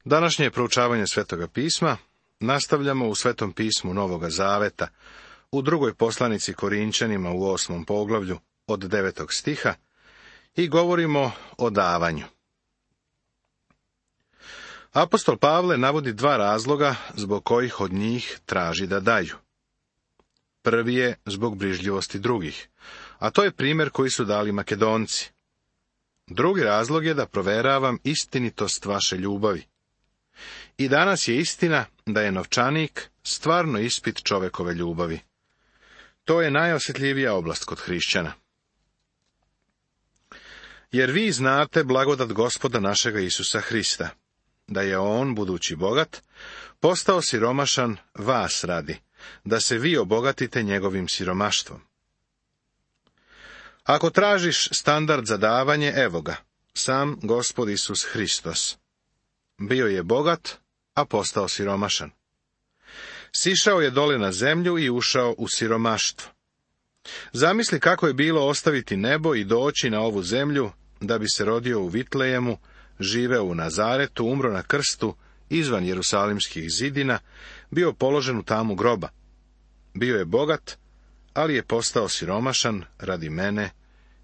Današnje proučavanje Svetoga pisma nastavljamo u Svetom pismu Novoga Zaveta, u drugoj poslanici Korinčanima u 8. poglavlju od 9. stiha i govorimo o davanju. Apostol Pavle navodi dva razloga zbog kojih od njih traži da daju. Prvi je zbog brižljivosti drugih, a to je primjer koji su dali Makedonci. Drugi razlog je da proveravam istinitost vaše ljubavi. I danas je istina da je novčanik stvarno ispit čovekove ljubavi. To je najosjetljivija oblast kod hrišćana. Jer vi znate blagodat Gospoda našega Isusa Hrista, da je on, budući bogat, postao siromašan vas radi, da se vi obogatite njegovim siromaštvom. Ako tražiš standard za davanje, evo ga, sam Gospod Isus Hristos. Bio je bogat, a postao siromašan. Sišao je dole na zemlju i ušao u siromaštvo. Zamisli kako je bilo ostaviti nebo i doći na ovu zemlju, da bi se rodio u Vitlejemu, živeo u Nazaretu, umro na krstu, izvan Jerusalimskih zidina, bio položen u tamu groba. Bio je bogat, ali je postao siromašan radi mene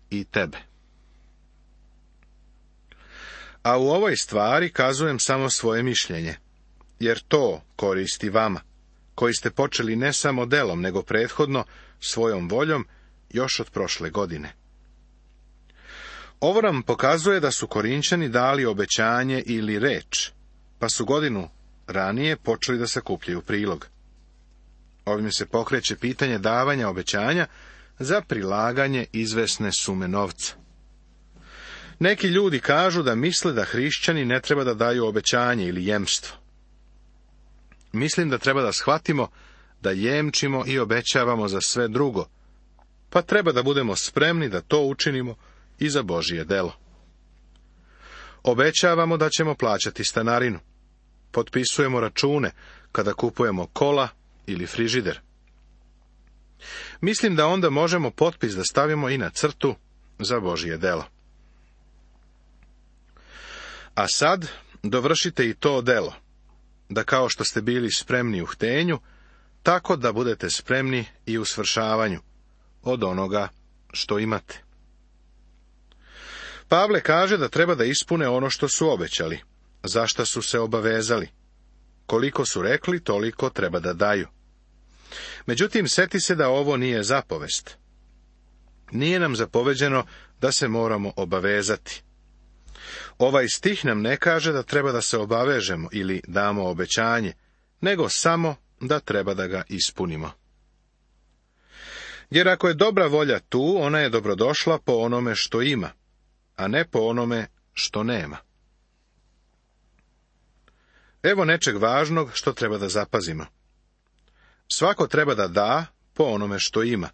i tebe. A u ovoj stvari kazujem samo svoje mišljenje, jer to koristi vama, koji ste počeli ne samo delom, nego prethodno svojom voljom još od prošle godine. Ovo nam pokazuje da su Korinčani dali obećanje ili reč, pa su godinu ranije počeli da sakupljaju prilog. Ovim se pokreće pitanje davanja obećanja za prilaganje izvesne sume novca. Neki ljudi kažu da misle da hrišćani ne treba da daju obećanje ili jemstvo. Mislim da treba da shvatimo da jemčimo i obećavamo za sve drugo, pa treba da budemo spremni da to učinimo i za Božije delo. Obećavamo da ćemo plaćati stanarinu. Potpisujemo račune kada kupujemo kola ili frižider. Mislim da onda možemo potpis da stavimo i na crtu za Božije delo. A sad dovršite i to delo, da kao što ste bili spremni u htenju, tako da budete spremni i u svršavanju od onoga što imate. Pavle kaže da treba da ispune ono što su obećali, za šta su se obavezali. Koliko su rekli, toliko treba da daju. Međutim, seti se da ovo nije zapovest. Nije nam zapoveđeno da se moramo obavezati. Ovaj stih nam ne kaže da treba da se obavežemo ili damo obećanje, nego samo da treba da ga ispunimo. Jer ako je dobra volja tu, ona je dobrodošla po onome što ima, a ne po onome što nema. Evo nečeg važnog što treba da zapazimo. Svako treba da da po onome što ima,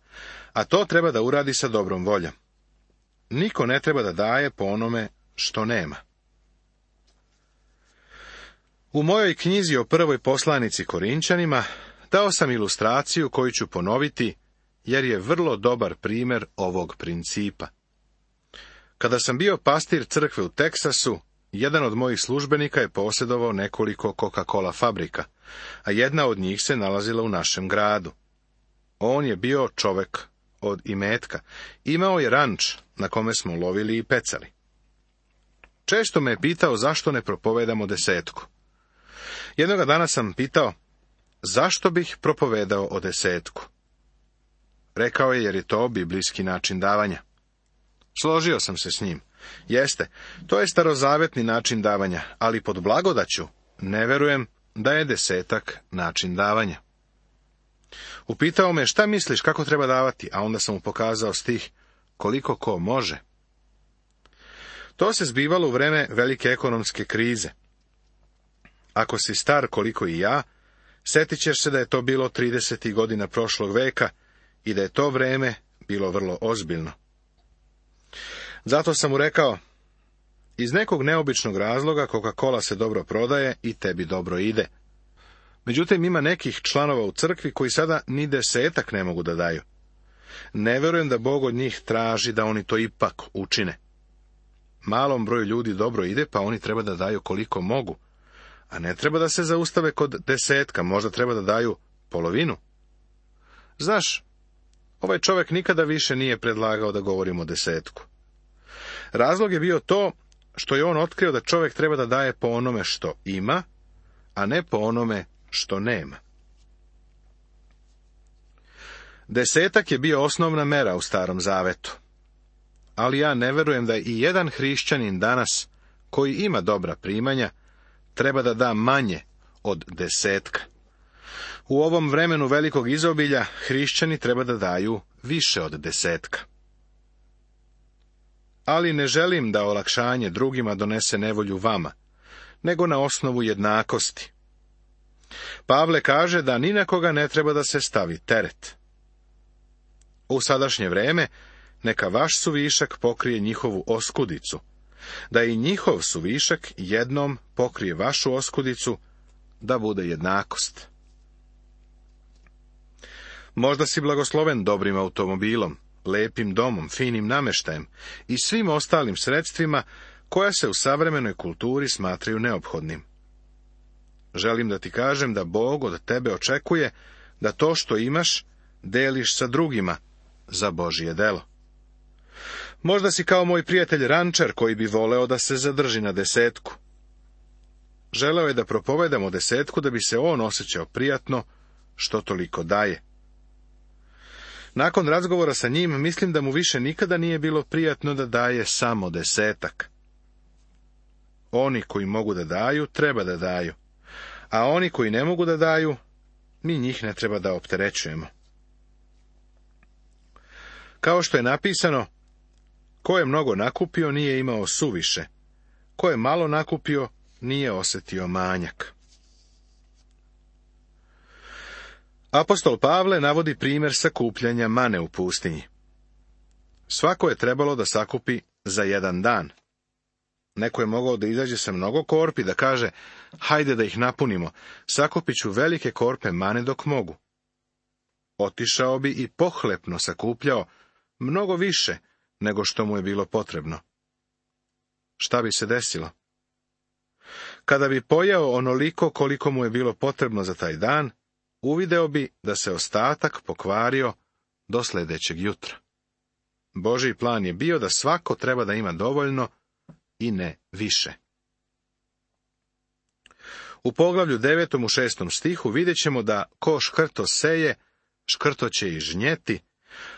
a to treba da uradi sa dobrom voljom. Niko ne treba da daje po onome što nema. U mojoj knjizi o prvoj poslanici Korinčanima dao sam ilustraciju koju ću ponoviti, jer je vrlo dobar primjer ovog principa. Kada sam bio pastir crkve u Teksasu, jedan od mojih službenika je posjedovao nekoliko Coca-Cola fabrika, a jedna od njih se nalazila u našem gradu. On je bio čovek od imetka. Imao je ranč na kome smo lovili i pecali. Često me je pitao zašto ne propovedamo desetku. Jednoga dana sam pitao, zašto bih propovedao o desetku? Rekao je jer je to biblijski način davanja. Složio sam se s njim. Jeste, to je starozavetni način davanja, ali pod blagodaću ne verujem da je desetak način davanja. Upitao me šta misliš kako treba davati, a onda sam mu pokazao stih koliko ko može. To se zbivalo u vreme velike ekonomske krize. Ako si star koliko i ja, setit ćeš se da je to bilo 30. godina prošlog veka i da je to vreme bilo vrlo ozbiljno. Zato sam mu rekao, iz nekog neobičnog razloga Coca-Cola se dobro prodaje i tebi dobro ide. Međutim, ima nekih članova u crkvi koji sada ni desetak ne mogu da daju. Ne verujem da Bog od njih traži da oni to ipak učine. Malom broju ljudi dobro ide, pa oni treba da daju koliko mogu, a ne treba da se zaustave kod 10, možda treba da daju polovinu. Znaš, ovaj čovjek nikada više nije predlagao da govorimo 10. Razlog je bio to što je on otkrio da čovjek treba da daje po onome što ima, a ne po onome što nema. 10 je bio osnovna mera u Starom Zavetu. Ali ja ne verujem da i jedan hrišćanin danas, koji ima dobra primanja, treba da da manje od 10. U ovom vremenu velikog izobilja hrišćani treba da daju više od 10. Ali ne želim da olakšanje drugima donese nevolju vama, nego na osnovu jednakosti. Pavle kaže da ni na koga ne treba da se stavi teret. U sadašnje vreme neka vaš suvišak pokrije njihovu oskudicu, da i njihov suvišak jednom pokrije vašu oskudicu, da bude jednakost. Možda si blagosloven dobrim automobilom, lepim domom, finim nameštajem i svim ostalim sredstvima koja se u savremenoj kulturi smatraju neophodnim. Želim da ti kažem da Bog od tebe očekuje da to što imaš deliš sa drugima za Božje delo. Možda si kao moj prijatelj rančar koji bi voleo da se zadrži na 10. Želeo je da propovedamo 10 da bi se on osjećao prijatno što toliko daje. Nakon razgovora sa njim, mislim da mu više nikada nije bilo prijatno da daje samo 10. Oni koji mogu da daju, treba da daju, a oni koji ne mogu da daju, mi njih ne treba da opterećujemo. Kao što je napisano, ko je mnogo nakupio, nije imao suviše, ko je malo nakupio, nije osjetio manjak. Apostol Pavle navodi primjer sakupljanja mane u pustinji. Svako je trebalo da sakupi za jedan dan. Neko je mogao da izađe sa mnogo korpi, da kaže, hajde da ih napunimo, sakupit ću velike korpe mane dok mogu. Otišao bi i pohlepno sakupljao mnogo više nego što mu je bilo potrebno. Šta bi se desilo? Kada bi pojeo onoliko koliko mu je bilo potrebno za taj dan, uvideo bi da se ostatak pokvario do sljedećeg jutra. Božji plan je bio da svako treba da ima dovoljno i ne više. U poglavlju 9. u 6. stihu vidjet ćemo da ko škrto seje, škrto će i žnjeti,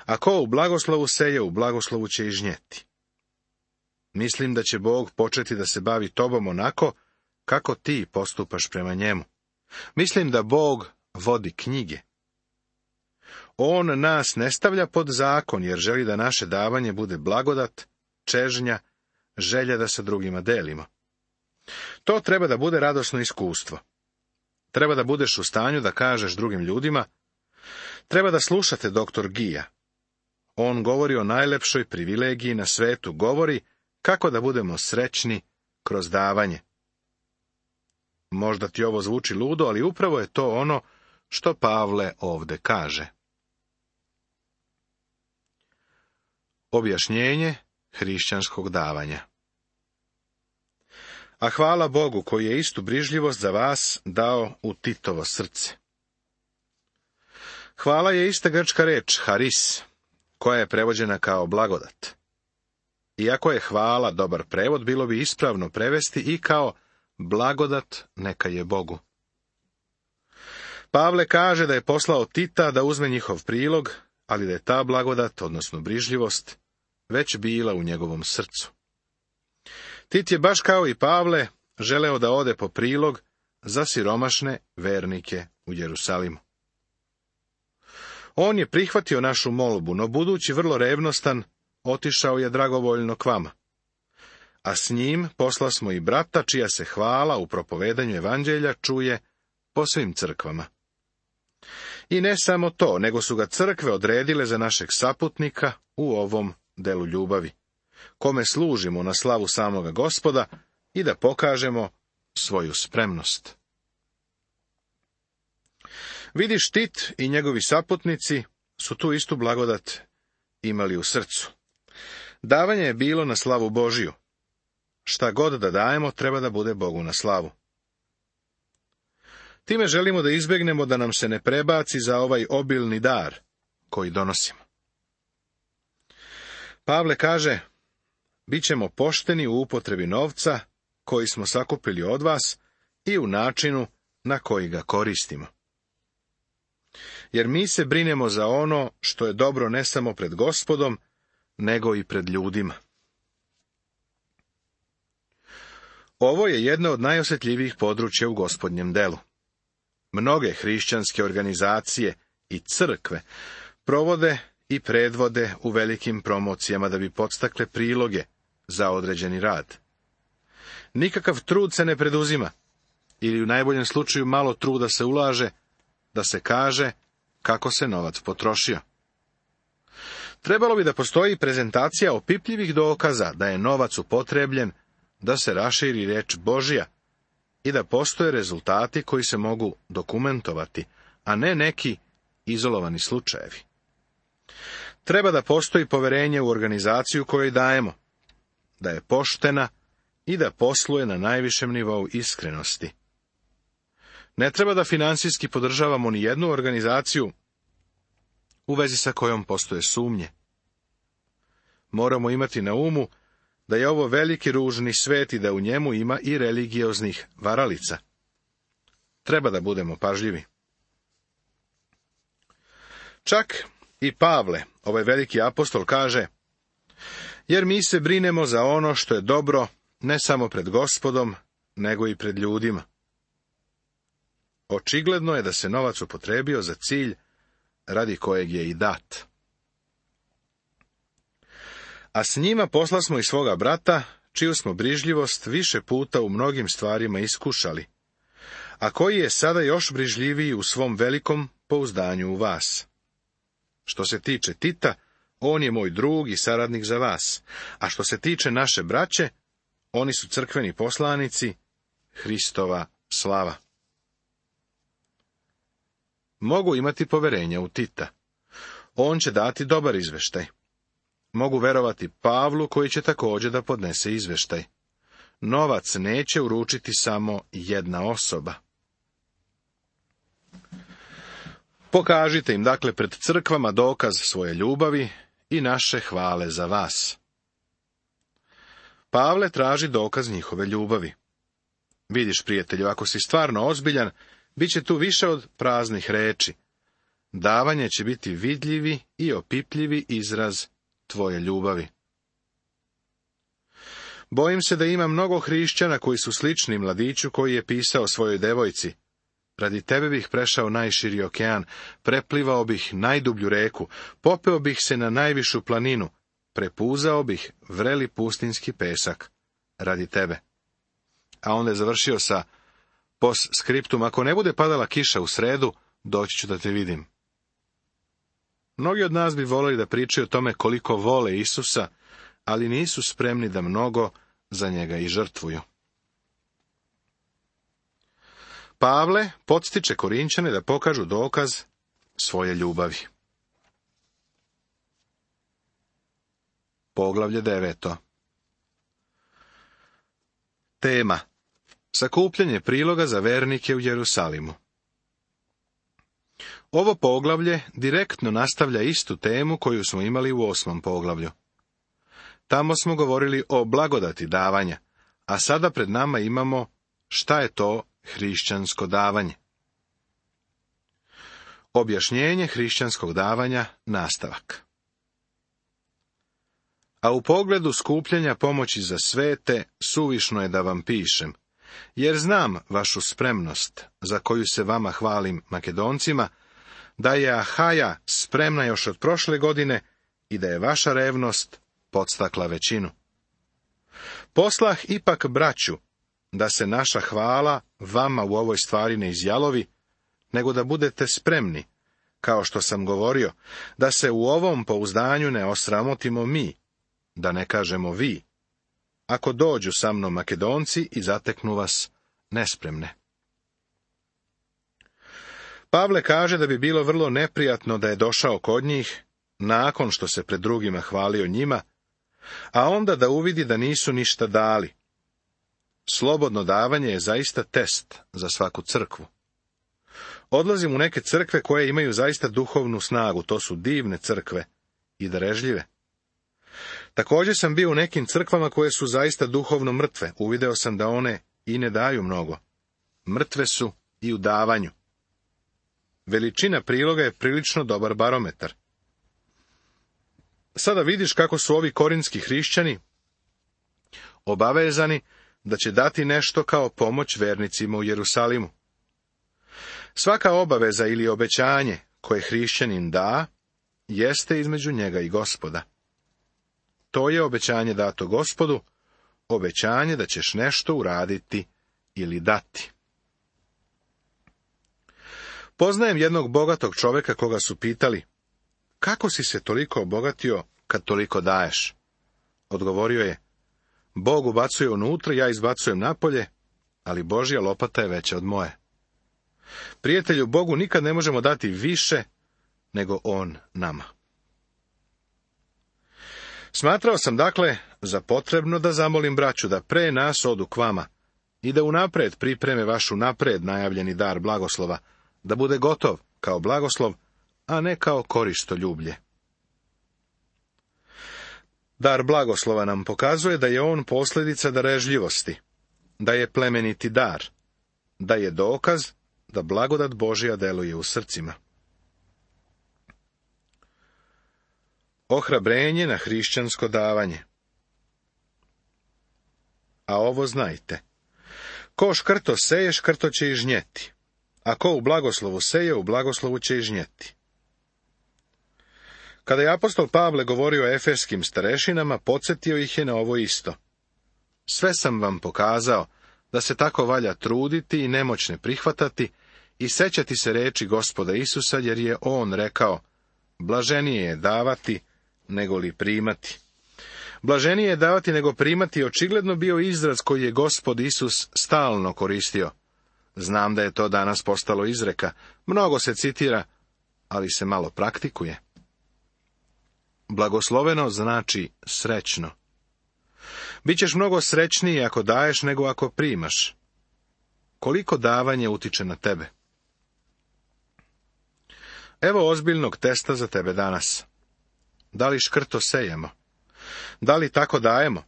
a ko u blagoslovu seje, u blagoslovu će i žnjeti. Mislim da će Bog početi da se bavi tobom onako kako ti postupaš prema njemu. Mislim da Bog vodi knjige. On nas ne stavlja pod zakon, jer želi da naše davanje bude blagodat, čežnja, želja da sa drugima delimo. To treba da bude radosno iskustvo. Treba da budeš u stanju da kažeš drugim ljudima, treba da slušate doktor Gija. On govori o najlepšoj privilegiji na svetu, govori kako da budemo srećni kroz davanje. Možda ti ovo zvuči ludo, ali upravo je to ono što Pavle ovde kaže. Objašnjenje hrišćanskog davanja. A hvala Bogu koji je istu brižljivost za vas dao u Titovo srce. Hvala je ista grčka reč, haris, koja je prevođena kao blagodat. Iako je hvala dobar prevod, bilo bi ispravno prevesti i kao blagodat neka je Bogu. Pavle kaže da je poslao Tita da uzme njihov prilog, ali da je ta blagodat, odnosno brižljivost, već bila u njegovom srcu. Tit je baš kao i Pavle želeo da ode po prilog za siromašne vernike u Jerusalimu. On je prihvatio našu molbu, no budući vrlo revnostan, otišao je dragovoljno k vama. A s njim posla smo i brata, čija se hvala u propovedanju evanđelja čuje po svim crkvama. I ne samo to, nego su ga crkve odredile za našeg saputnika u ovom delu ljubavi, kome služimo na slavu samoga Gospoda i da pokažemo svoju spremnost. Vidiš, Tit i njegovi saputnici su tu istu blagodat imali u srcu. Davanje je bilo na slavu Božiju. Šta god da dajemo, treba da bude Bogu na slavu. Time želimo da izbjegnemo da nam se ne prebaci za ovaj obilni dar koji donosimo. Pavle kaže, bit ćemo pošteni u upotrebi novca koji smo sakupili od vas i u načinu na koji ga koristimo. Jer mi se brinemo za ono što je dobro ne samo pred Gospodom, nego i pred ljudima. Ovo je jedno od najosjetljivijih područja u Gospodnjem delu. Mnoge hrišćanske organizacije i crkve provode i predvode u velikim promocijama da bi podstakle priloge za određeni rad. Nikakav trud se ne preduzima, ili u najboljem slučaju malo truda se ulaže, da se kaže kako se novac potrošio. Trebalo bi da postoji prezentacija opipljivih dokaza da je novac upotrebljen, da se raširi riječ Božja i da postoje rezultati koji se mogu dokumentovati, a ne neki izolovani slučajevi. Treba da postoji poverenje u organizaciju kojoj dajemo, da je poštena i da posluje na najvišem nivou iskrenosti. Ne treba da finansijski podržavamo ni jednu organizaciju u vezi sa kojom postoje sumnje. Moramo imati na umu da je ovo veliki ružni svet i da u njemu ima i religioznih varalica. Treba da budemo pažljivi. Čak i Pavle, ovaj veliki apostol, kaže, jer mi se brinemo za ono što je dobro ne samo pred Gospodom, nego i pred ljudima. Očigledno je da se novac upotrebio za cilj radi kojeg je i dat. A s njima poslasmo i svoga brata, čiju smo brižljivost više puta u mnogim stvarima iskušali, a koji je sada još brižljiviji u svom velikom pouzdanju u vas. Što se tiče Tita, on je moj drug i saradnik za vas, a što se tiče naše braće, oni su crkveni poslanici, Hristova slava. Mogu imati poverenja u Tita. On će dati dobar izveštaj. Mogu verovati Pavlu koji će također da podnese izveštaj. Novac neće uručiti samo jedna osoba. Pokažite im dakle pred crkvama dokaz svoje ljubavi i naše hvale za vas. Pavle traži dokaz njihove ljubavi. Vidiš, prijatelju, ako si stvarno ozbiljan, bit će tu više od praznih reči. Davanje će biti vidljivi i opipljivi izraz tvoje ljubavi. Bojim se da ima mnogo hrišćana koji su slični mladiću koji je pisao svojoj devojci. Radi tebe bih prešao najširi okean, preplivao bih najdublju reku, popeo bih se na najvišu planinu, prepuzao bih vreli pustinski pesak radi tebe. A onda je završio sa postskriptum, ako ne bude padala kiša u sredu, doći ću da te vidim. Mnogi od nas bi voleli da pričaju o tome koliko vole Isusa, ali nisu spremni da mnogo za njega i žrtvuju. Pavle podstiče Korinćane da pokažu dokaz svoje ljubavi. Poglavlje 9. Tema: sakupljanje priloga za vernike u Jerusalimu. Ovo poglavlje direktno nastavlja istu temu koju smo imali u 8. poglavlju. Tamo smo govorili o blagodati davanja, a sada pred nama imamo šta je to hrišćansko davanje. Objašnjenje hrišćanskog davanja, nastavak. A u pogledu skupljanja pomoći za svete, suvišno je da vam pišem, jer znam vašu spremnost, za koju se vama hvalim Makedoncima, da je Ahaja spremna još od prošle godine i da je vaša revnost podstakla većinu. Poslah ipak braću, da se naša hvala vama u ovoj stvari ne izjalovi, nego da budete spremni, kao što sam govorio, da se u ovom pouzdanju ne osramotimo mi, da ne kažemo vi, ako dođu sa mnom Makedonci i zateknu vas nespremne. Pavle kaže da bi bilo vrlo neprijatno da je došao kod njih, nakon što se pred drugima hvalio njima, a onda da uvidi da nisu ništa dali. Slobodno davanje je zaista test za svaku crkvu. Odlazim u neke crkve koje imaju zaista duhovnu snagu, to su divne crkve i darežljive. Također sam bio u nekim crkvama koje su zaista duhovno mrtve, uvideo sam da one i ne daju mnogo. Mrtve su i u davanju. Veličina priloga je prilično dobar barometar. Sada vidiš kako su ovi korinski hrišćani obavezani da će dati nešto kao pomoć vernicima u Jerusalimu. Svaka obaveza ili obećanje koje hrišćanin da, jeste između njega i Gospoda. To je obećanje dato Gospodu, obećanje da ćeš nešto uraditi ili dati. Poznajem jednog bogatog čovjeka koga su pitali, kako si se toliko obogatio kad toliko daješ? Odgovorio je, Bog ubacuje unutra, ja izbacujem napolje, ali Božja lopata je veća od moje. Prijatelju, Bogu nikad ne možemo dati više nego On nama. Smatrao sam dakle za potrebno da zamolim braću da pre nas odu k vama i da unapred pripreme vaš unapred najavljeni dar blagoslova, da bude gotov kao blagoslov, a ne kao koristoljublje. Dar blagoslova nam pokazuje da je on posljedica darežljivosti, da je plemeniti dar, da je dokaz da blagodat Božja deluje u srcima. Ohrabrenje na hrišćansko davanje. A ovo znajte, ko škrto seje, škrto će i žnjeti, a ko u blagoslovu seje, u blagoslovu će i žnjeti. Kada je apostol Pavle govorio o efeskim starešinama, podsjetio ih je na ovo isto. Sve sam vam pokazao da se tako valja truditi i nemoćne prihvatati i sećati se reči Gospoda Isusa, jer je on rekao, blaženije je davati nego li primati. Blaženije je davati nego primati je očigledno bio izraz koji je Gospod Isus stalno koristio. Znam da je to danas postalo izreka, mnogo se citira, ali se malo praktikuje. Blagosloveno znači srećno. Bićeš mnogo srećniji ako daješ nego ako primaš. Koliko davanje utiče na tebe? Evo ozbiljnog testa za tebe danas. Da li škrto sejemo? Da li tako dajemo?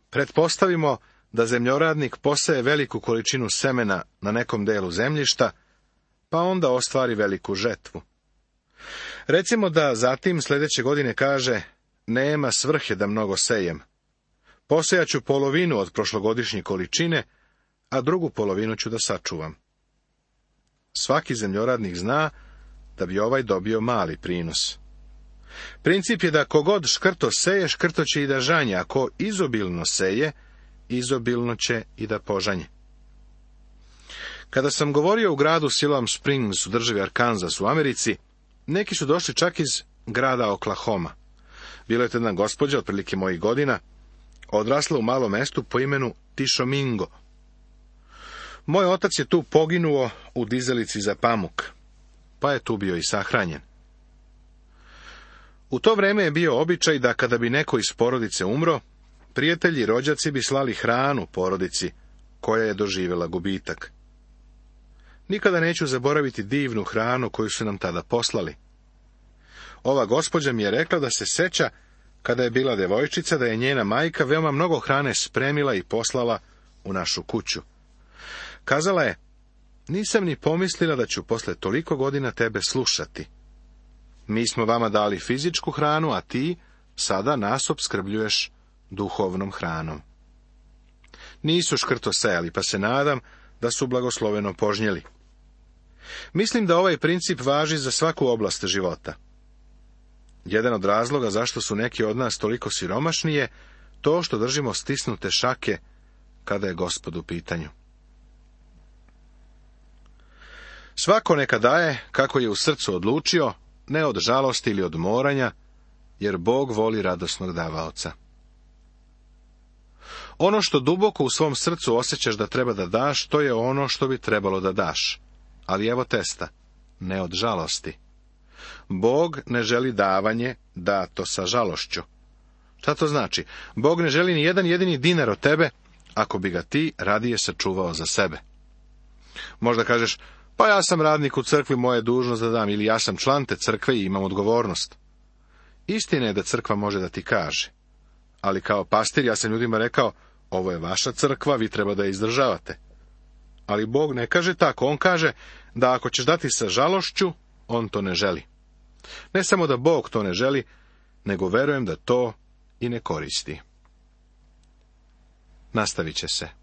Pretpostavimo da zemljoradnik poseje veliku količinu semena na nekom delu zemljišta, pa onda ostvari veliku žetvu. Recimo da zatim sljedeće godine kaže, nema svrhe da mnogo sejem. Posejaću polovinu od prošlogodišnje količine, a drugu polovinu ću da sačuvam. Svaki zemljoradnik zna da bi ovaj dobio mali prinos. Princip je da kogod škrto seje, škrto će i da žanje, a ko izobilno seje, izobilno će i da požanje. Kada sam govorio u gradu Siloam Springs u državi Arkansas u Americi, neki su došli čak iz grada Oklahoma. Bila je to jedna gospođa, otprilike mojih godina, odrasla u malom mestu po imenu Tishomingo. Moj otac je tu poginuo u dizalici za pamuk, pa je tu bio i sahranjen. U to vrijeme je bio običaj da kada bi neko iz porodice umro, prijatelji i rođaci bi slali hranu porodici koja je doživjela gubitak. Nikada neću zaboraviti divnu hranu koju su nam tada poslali. Ova gospođa mi je rekla da se seća, kada je bila devojčica, da je njena majka veoma mnogo hrane spremila i poslala u našu kuću. Kazala je, nisam ni pomislila da ću posle toliko godina tebe slušati. Mi smo vama dali fizičku hranu, a ti sada nas opskrbljuješ duhovnom hranom. Nisu škrto sejali, pa se nadam da su blagosloveno požnjeli. Mislim da ovaj princip važi za svaku oblast života. Jedan od razloga zašto su neki od nas toliko siromašni je to što držimo stisnute šake kada je Gospod u pitanju. Svako neka daje kako je u srcu odlučio, ne od žalosti ili od moranja, jer Bog voli radosnog davaoca. Ono što duboko u svom srcu osjećaš da treba da daš, to je ono što bi trebalo da daš. Ali evo testa, ne od žalosti. Bog ne želi davanje dato sa žalošću. Šta to znači? Bog ne želi ni jedan jedini dinar od tebe, ako bi ga ti radije sačuvao za sebe. Možda kažeš, Pa ja sam radnik u crkvi, moja je dužnost da dam, ili ja sam član te crkve i imam odgovornost. Istina je da crkva može da ti kaže, ali kao pastir ja sam ljudima rekao, ovo je vaša crkva, vi treba da je izdržavate. Ali Bog ne kaže tako, on kaže da ako ćeš dati sa žalošću, on to ne želi. Ne samo da Bog to ne želi, nego verujem da to i ne koristi. Nastavit će se.